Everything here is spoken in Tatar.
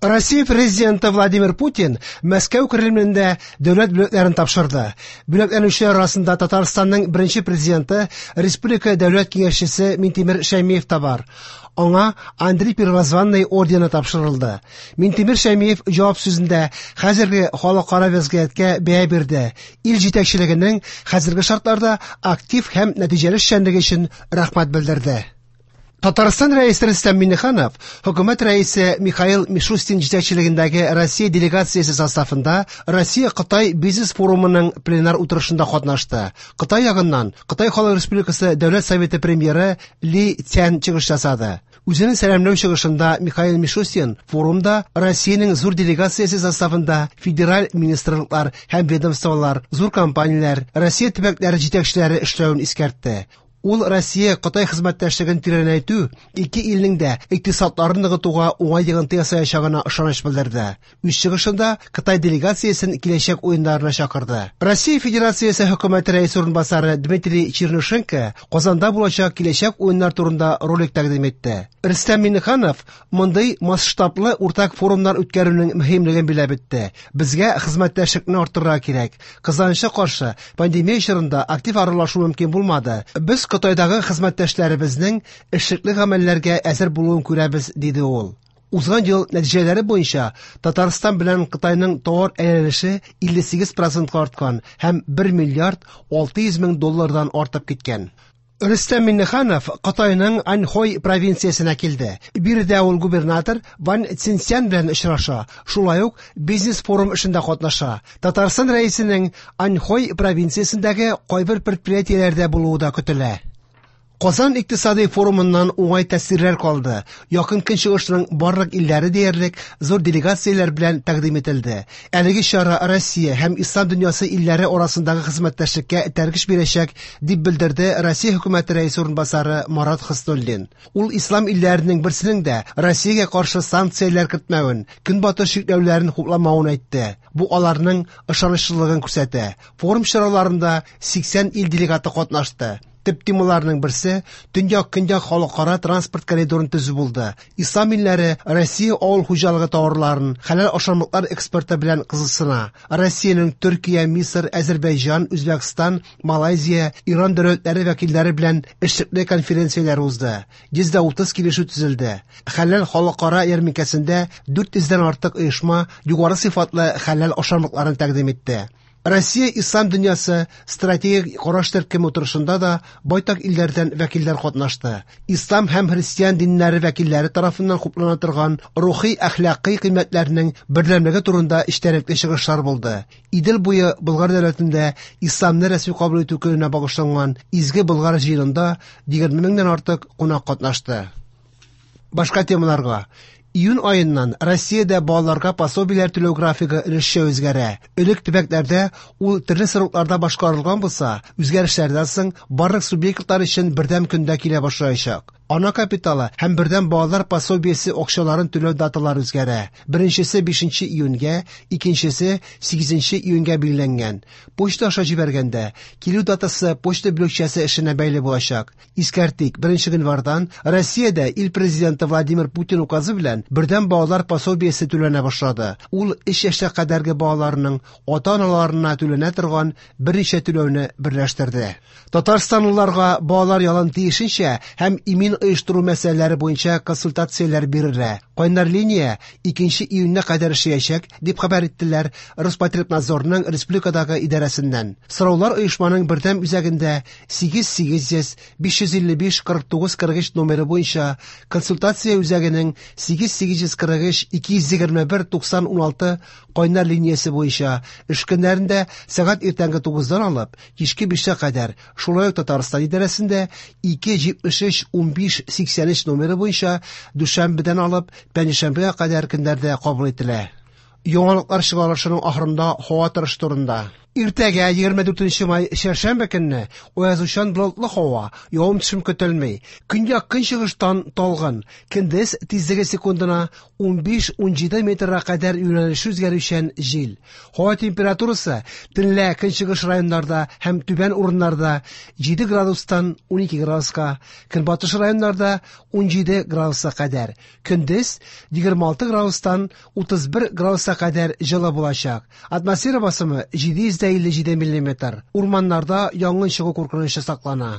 Россия президенты Владимир Путин Мәскәү Кремлендә дәүләт бүләкләрен тапшырды. Бүләкләнүчеләр арасында Татарстанның беренче президенты, республика дәүләт киңәшчесе Минтимер Шәймиев та бар. Аңа Андрей Первозванный ордены тапшырылды. Минтимер Шәймиев җавап сүзендә хәзерге халыкара вәзгыятькә бәя бирде. Ил җитәкчелегенең хәзерге шартларда актив һәм нәтиҗәле эшчәнлеге өчен рәхмәт белдерде. Татарстан Рәисе Рөстәм Миңнеханов Хөкүмәт Рәисе Михаил Мишустин җитәкчелегендәге Россия делегациясе составында Россия-Кытай бизнес-форумының пленар утырышында катнашты. Кытай ягыннан Кытай Халык Республикасы Дәүләт Советы премьеры Ли Цян чыгыш ясады. Үзенең сәламләү чыгышында Михаил Мишустин форумда Россиянең зур делегациясе составында федераль министрлыклар һәм ведомстволар, зур компанияләр, Россия төбәкләре җитәкчеләре эшләвен искәртте. Ул Россия-Кытай хезмәттәшлеген тирәнәйтү ике илнең дә икътисадларын ныгытуга уңай йогынты ясаячагына ышаныч белдерде. Үз чыгышында Кытай делегациясен киләчәк уеннарына чакырды. Россия Федерациясе хөкүмәте рәисе урынбасары Дмитрий Чернышенко Казанда булачак киләчәк уеннар турында ролик тәкъдим итте. Рөстәм Миңнеханов мондый масштаблы уртак форумнар үткәрүнең мөһимлеген биләп үтте. Безгә хезмәттәшлекне арттырырга кирәк. Кызганычка каршы, пандемия чорында актив аралашу мөмкин булмады. Без Кытайдагы хезмәттәшләребезнең эшлекле гамәлләргә әзер булуын күрәбез, диде ул. Узган ел нәтиҗәләре буенча Татарстан белән Кытайның товар әйләнеше 58 процентка арткан һәм 1 миллиард 600 мең доллардан артып киткән. Рөстәм Миңнеханов Кытайның Аньхой провинциясенә килде. Биредә ул губернатор Ван Цинсян белән очраша, шулай ук бизнес-форум эшендә катнаша. Татарстан Рәисенең Аньхой провинциясендәге кайбер предприятиеләрдә булуы да көтелә. Казан икътисади форумыннан уңай тәэсирләр калды. Якын Көнчыгышның барлык илләре диярлек зур делегацияләр белән тәкъдим ителде. Әлеге чара Россия һәм ислам дөньясы илләре арасындагы хезмәттәшлеккә этәргеч бирәчәк, дип белдерде Россия хөкүмәте рәисе урынбасары Марат Хөснуллин. Ул ислам илләренең берсенең дә Россиягә каршы санкцияләр кертмәвен, Көнбатыш чикләүләрен хупламавын әйтте. Бу аларның ышанычлылыгын күрсәтә. Форум чараларында 80 ил делегаты катнашты. Төп темаларның берсе Төньяк-Көньяк халыкара транспорт коридорын төзү булды. Ислам илләре Россия авыл хуҗалыгы товарларын, хәләл ашамлыклар экспорты белән кызыксына. Россиянең Төркия, Мисыр, Әзербайҗан, Үзбәкстан, Малайзия, Иран дәүләтләре вәкилләре белән эшлекле конференцияләр узды. 130 килешү төзелде. Хәләл халыкара ярминкәсендә 400 дән артык оешма югары сыйфатлы хәләл ашамлыкларын тәкъдим итте. Россия ислам дөньясы стратегик караш төркеме утырышында да байтак илләрдән вәкилләр катнашты. Ислам һәм христиан диннәре вәкилләре тарафыннан хуплана торган рухи әхлакый кыйммәтләрнең бердәмлеге турында эчтәлекле чыгышлар булды. Идел буе Болгар дәүләтендә исламны рәсми кабул итү көненә багышланган Изге Болгар җыенында 20 меңнән артык кунак катнашты. Башка темаларга. Июнь аеннан Россиядә балаларга пособиеләр түләү графигы өлешчә үзгәрә. Элек төбәкләрдә ул төрле срокларда башкарылган булса, үзгәрешләрдән соң барлык субъектлар өчен бердәм көндә килә башлаячак. Ана капиталы һәм бердәм балалар пособиесе акчаларын түләү даталары үзгәрә. Беренчесе 5 июньгә, икенчесе 8 июньгә билгеләнгән. Почта аша җибәргәндә, килү датасы почта бүлекчәсе эшенә бәйле булачак. Искәртик, 1 гыйнвардан Россиядә ил президенты Владимир Путин указы белән бердәм балалар пособиесе түләнә башлады. Ул 3 яшькә кадәрге балаларның ата-аналарына түләнә торган берничә түләүне берләштерде. Татарстанлыларга балалар ялын тиешенчә һәм имин оештыру мәсьәләләре буенча консультацияләр бирелә. Кайнар линия 2 июньгә кадәр эшләячәк, дип хәбәр иттеләр Роспотребнадзорның республикадагы идарәсеннән. Сораулар оешманың бердәм үзәгендә 8 800 555 49 43 номеры буенча, консультация үзәгенең 8 843 221 90 16 кайнар линиясе буенча эш көннәрендә сәгать иртәнге 9-дан алып кичке 5-кә кадәр, шулай ук Татарстан идарәсендә 2 73 15 83 номеры буенча дүшәмбедән алып пәнҗешәмбегә кадәр көннәрдә кабул ителә. Яңалыклар чыгарылышының ахырында һава торышы турында. Иртәгә 24 май чәршәмбе көнне аязучан болытлы һава, явым-төшем көтелми. Көньяк-көнчыгыштан талгын. Көндез тизлеге секундына 15-17 метрга кадәр юнәлеше үзгәрүчән җил. Һава температурасы төнлә көнчыгыш районнарда һәм түбән урыннарда 7 градустан 12 градуска, көнбатыш районнарда 17 градуска кадәр. Көндез 26 градустан 31 градуска кадәр җылы булачак. Атмосфера басымы 757 миллиметр. Урманнарда янгын чыгу куркынычы саклана.